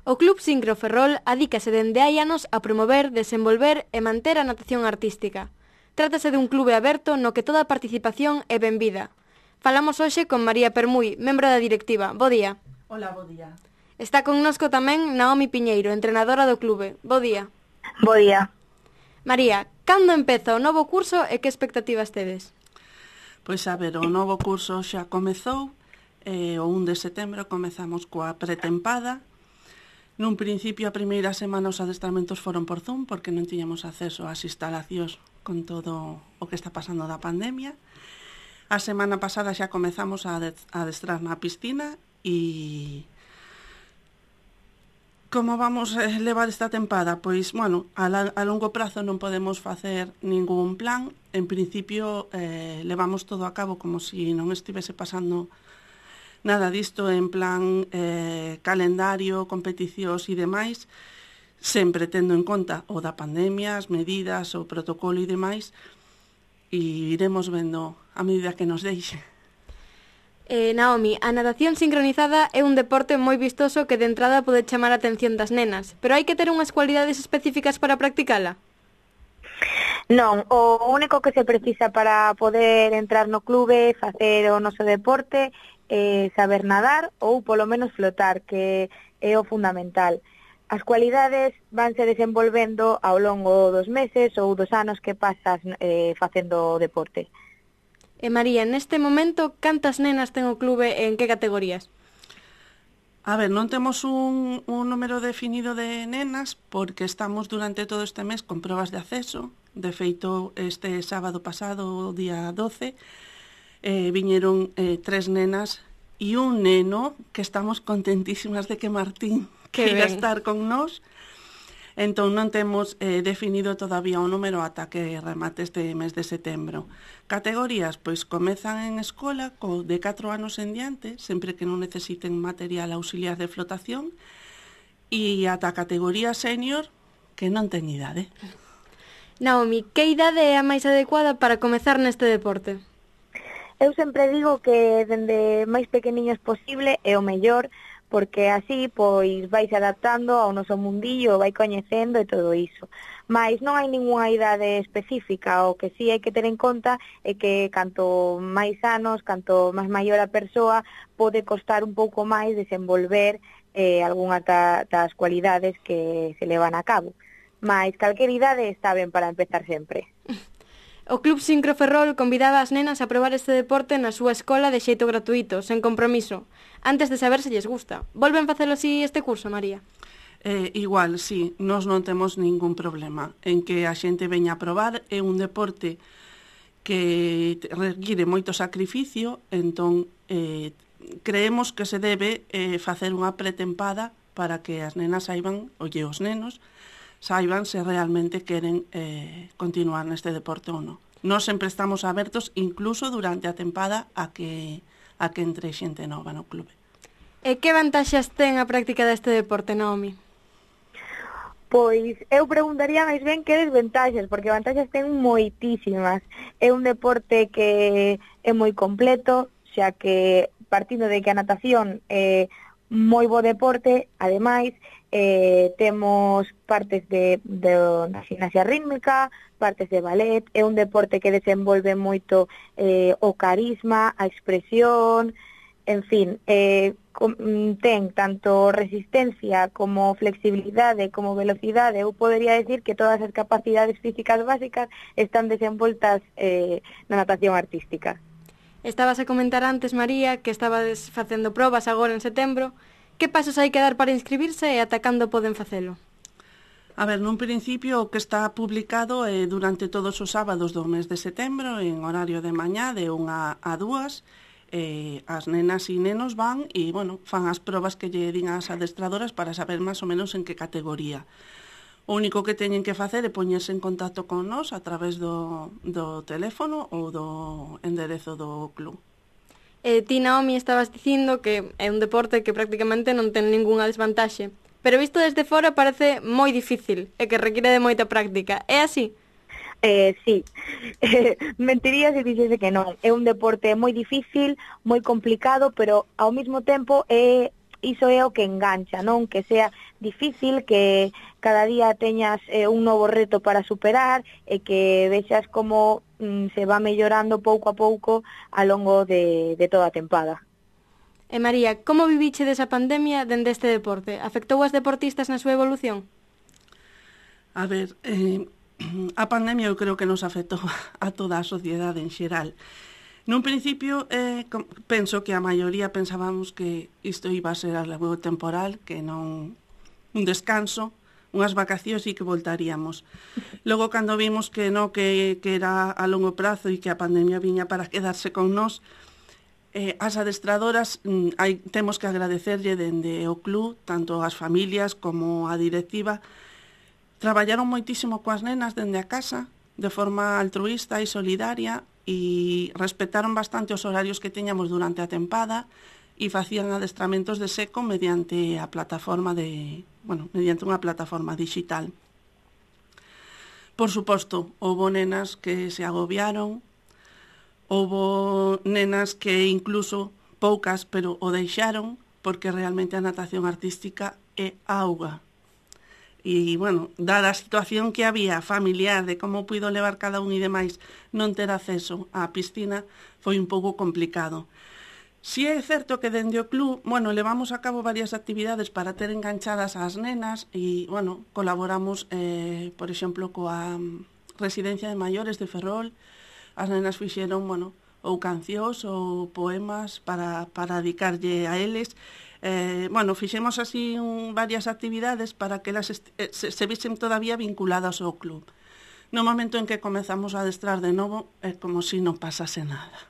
O Club Sincro Ferrol adícase dende hai anos a promover, desenvolver e manter a natación artística. Trátase dun clube aberto no que toda a participación é benvida. Falamos hoxe con María Permuy, membro da directiva. Bo día. Hola, bo día. Está connosco tamén Naomi Piñeiro, entrenadora do clube. Bo día. Bo día. María, cando empeza o novo curso e que expectativas tedes? Pois a ver, o novo curso xa comezou, o 1 de setembro comezamos coa pretempada. Nun principio, a primeira semana os adestramentos foron por Zoom porque non tiñamos acceso ás instalacións con todo o que está pasando da pandemia. A semana pasada xa comezamos a adestrar na piscina e como vamos levar esta tempada? Pois, bueno, a longo prazo non podemos facer ningún plan. En principio, levamos todo a cabo como se non estivese pasando nada disto en plan calendario, competicións e demais, sempre tendo en conta o da pandemia, as medidas, o protocolo e demais, e iremos vendo a medida que nos deixe. Naomi, a natación sincronizada é un deporte moi vistoso que de entrada pode chamar a atención das nenas, pero hai que ter unhas cualidades específicas para practicala? Non, o único que se precisa para poder entrar no clube, facer o noso deporte, saber nadar ou polo menos flotar, que é o fundamental. As cualidades vanse desenvolvendo ao longo dos meses ou dos anos que pasas facendo o deporte. María, neste momento, cantas nenas ten o clube e en que categorías? A ver, non temos un número definido de nenas porque estamos durante todo este mes con probas de acceso. De feito, este sábado pasado, o día 12, viñeron 3 nenas e un neno que estamos contentísimas de que Martín queira estar con nós. Entón non temos definido todavía o número ata que remate este mes de setembro. Categorías, pois comezan en escola de 4 anos en diante, sempre que non necesiten material auxiliar de flotación, e ata a categoría senior, que non ten idade. Naomi, que idade é a máis adecuada para comezar neste deporte? Eu sempre digo que dende máis pequeniños posible é o mellor, porque así pois vais adaptando ao noso mundillo, vai coñecendo e todo iso. Mais non hai ningunha idade específica, o que sí hai que ter en conta é que canto máis anos, canto máis maior a persoa, pode costar un pouco máis desenvolver algunhas das cualidades que se levan a cabo. Mais calquer idade está ben para empezar sempre. O Club Sincro Ferrol convidaba as nenas a probar este deporte na súa escola de xeito gratuito, sen compromiso, antes de saber se lles gusta. Volven facelo así este curso, María? Igual, sí, nós non temos ningún problema en que a xente veña a probar. É un deporte que require moito sacrificio, entón creemos que se debe facer unha pretempada para que as nenas saiban, os nenos, saiban se realmente queren continuar neste deporte ou non. Nós sempre estamos abertos, incluso durante a tempada, a que entre xente nova no clube. E que vantaxes ten a práctica deste deporte, Naomi? Pois eu preguntaría máis ben que desventaxes, porque vantaxes ten moitísimas. É un deporte que é moi completo, xa que partindo de que a natación é moi bo deporte, ademais, temos partes de gimnasia rítmica, partes de ballet, é un deporte que desenvolve moito o carisma, a expresión, en fin, ten tanto resistencia como flexibilidade, como velocidade. Eu podería decir que todas as capacidades físicas básicas están desenvoltas na natación artística. Estabas a comentar antes, María, que estabas facendo probas agora en setembro. Que pasos hai que dar para inscribirse e ata cando poden facelo? A ver, nun principio o que está publicado é durante todos os sábados do mes de setembro, en horario de mañá, de 1 a 2, as nenas e nenos van e, bueno, fan as probas que lle din as adestradoras para saber máis ou menos en que categoría. O único que teñen que facer é poñerse en contacto con nós a través do teléfono ou do enderezo do club. Ti, Naomi, estabas dicindo que é un deporte que prácticamente non ten ningunha desvantaxe, pero visto desde fora parece moi difícil e que require de moita práctica. É así? Sí, mentiría se dixese que non. É un deporte moi difícil, moi complicado, pero ao mesmo tempo é iso é o que engancha, non? Que sea difícil, que cada día teñas un novo reto para superar e que vexas como se va mellorando pouco a pouco ao longo de toda a tempada. E María, como viviche desa pandemia dende este deporte? Afectou aos deportistas na súa evolución? A ver, a pandemia eu creo que nos afectou a toda a sociedade en xeral. Nun principio, penso que a maioría pensábamos que isto iba a ser algo temporal, que non un descanso, unhas vacacións e que voltaríamos. Logo, cando vimos que non, que era a longo prazo e que a pandemia viña para quedarse con nós, as adestradoras temos que agradecerlle dende o club, tanto as familias como a directiva. Traballaron moitísimo coas nenas dende a casa, de forma altruista e solidaria, e respetaron bastante os horarios que teñamos durante a tempada e facían adestramentos de seco mediante a plataforma mediante unha plataforma digital. Por suposto, houbo nenas que se agobiaron, houbo nenas que incluso poucas, pero o deixaron, porque realmente a natación artística é auga. E, bueno, dada a situación que había familiar de como puido levar cada un e demais, non ter acceso á piscina foi un pouco complicado. Si é certo que dende o club, levamos a cabo varias actividades para ter enganchadas ás nenas e, colaboramos, por exemplo, coa Residencia de Maiores de Ferrol. As nenas fixeron, ou cancións ou poemas para dedicarlle a eles. Fixemos así varias actividades para que elas se visen todavía vinculadas ao club. No momento en que comezamos a adestrar de novo, é como si non pasase nada.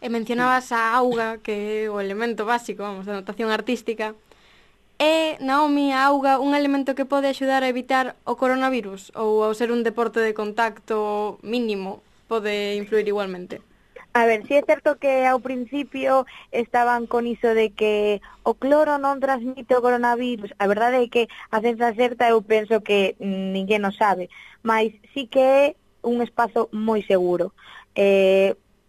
E mencionabas a auga, que é o elemento básico, da natación artística. É, Naomi, a auga un elemento que pode axudar a evitar o coronavirus? Ou ao ser un deporte de contacto mínimo, pode influir igualmente? A ver, si é certo que ao principio estaban con iso de que o cloro non transmite o coronavirus. A verdade é que a ciencia certa eu penso que ninguén o sabe, mas sí que é un espazo moi seguro.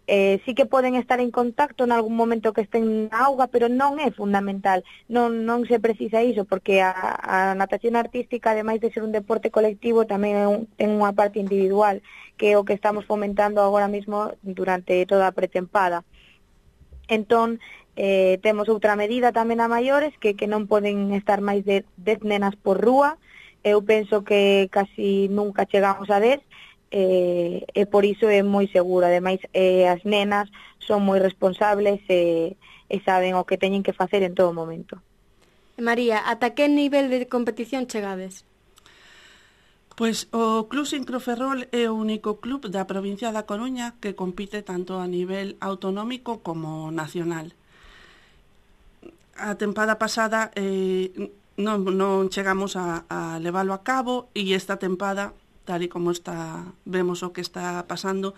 Sí que poden estar en contacto en algún momento que estén na auga, pero non é fundamental, non se precisa iso, porque a natación artística, ademais de ser un deporte colectivo, tamén ten unha parte individual, que é o que estamos fomentando agora mesmo durante toda a pretempada. Entón, temos outra medida tamén a maiores, que non poden estar máis de 10 nenas por rúa. Eu penso que casi nunca chegamos a 10, e por iso é moi seguro. Ademais, as nenas son moi responsables e saben o que teñen que facer en todo momento. María, ata que nivel de competición chegades? Pois o Club Sincroferrol é o único club da provincia da Coruña que compite tanto a nivel autonómico como nacional. A tempada pasada non chegamos a leválo a cabo, e esta tempada, tal e como vemos o que está pasando,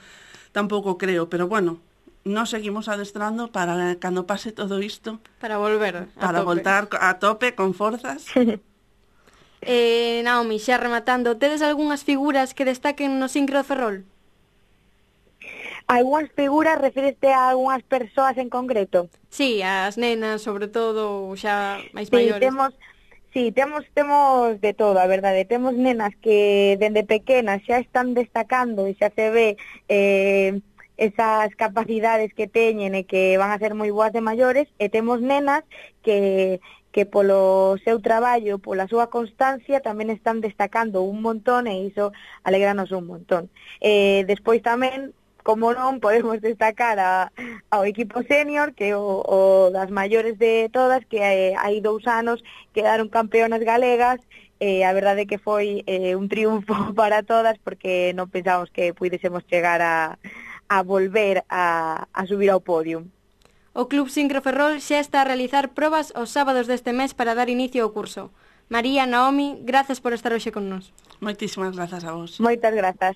tampouco creo, pero nos seguimos adestrando para cando pase todo isto, para volver para voltar a tope con forzas. Naomi, xa rematando, tedes algunhas figuras que destaquen no sincro de Ferrol? Algunhas figuras, refíreste a algunhas persoas en concreto? Sí, as nenas, sobre todo, xa máis maiores. Sí, temos de todo, a verdade. Temos nenas que dende pequenas xa están destacando e xa se ve esas capacidades que teñen e que van a ser moi boas de maiores, e temos nenas que polo seu traballo, pola súa constancia, tamén están destacando un montón, e iso alegranos un montón. Despois tamén, como non, podemos destacar ao equipo senior, que é o das maiores de todas, que hai 2 anos quedaron campeonas galegas, e a verdade é que foi un triunfo para todas, porque non pensábamos que puidésemos chegar a volver a subir ao podium. O Club Sincro Ferrol xa está a realizar probas os sábados deste mes para dar inicio ao curso. María, Naomi, grazas por estar hoxe con nós. Moitísimas grazas a vos. Moitas grazas.